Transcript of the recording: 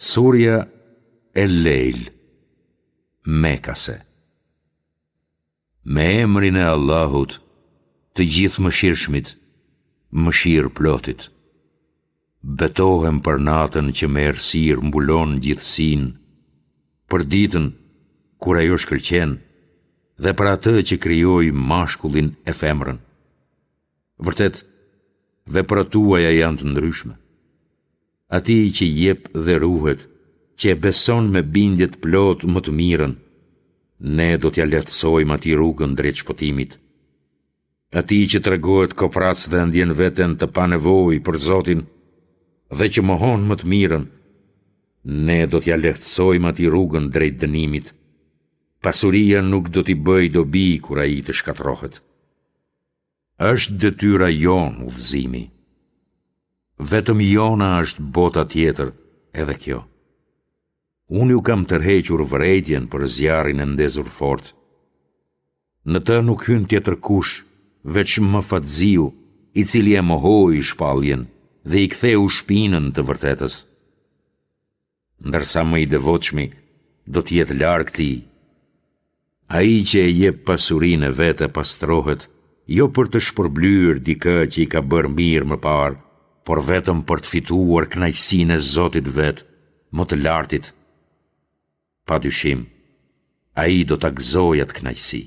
Surja El-Lejl, Mekase Me emrin e Allahut, të Gjithëmëshirshmit, Mëshirëplotit. Betohem për natën që me errësirë mbulon gjithësinë, për ditën kur ajo shkëlqen dhe për atë që krijoi mashkullin e femrën. Vërtet, veprat tuaja janë të ndryshme. Atij që jep dhe ruhet, që e beson me bindje të plotë më të mirën, ne do t'ia lehtësojmë atij rrugën drejt shpëtimit. Atij që tregohet koprrac dhe e ndjen veten të panevojë për Zotin dhe që mohon më të mirën, ne do t'ia lehtësojmë atij rrugën drejt dënimit. Pasuria nuk do t'i bëjë dobi kur ai të shkatërrohet. Është detyra jonë udhëzimi. Vetëm jona është bota tjetër edhe kjo. Unë ju kam tërhequr vërejtjen për zjarrin e ndezur fort. Në të nuk hyn tjetërkush, veç më fatziu, i cili e mohoi shpalljen dhe i ktheu shpinën të vërtetës. ndërsa më i devotshmi do të jetë larg tij. Ai që e jep pasurinë e vet e pastrohet, jo për të shpërblyer dikë që i ka bërë mirë më parë, por vetëm për të fituar kënaqësinë e Zotit të vet, më të Lartit. Pa dyshim, ai do ta gëzojë atë kënaqësi.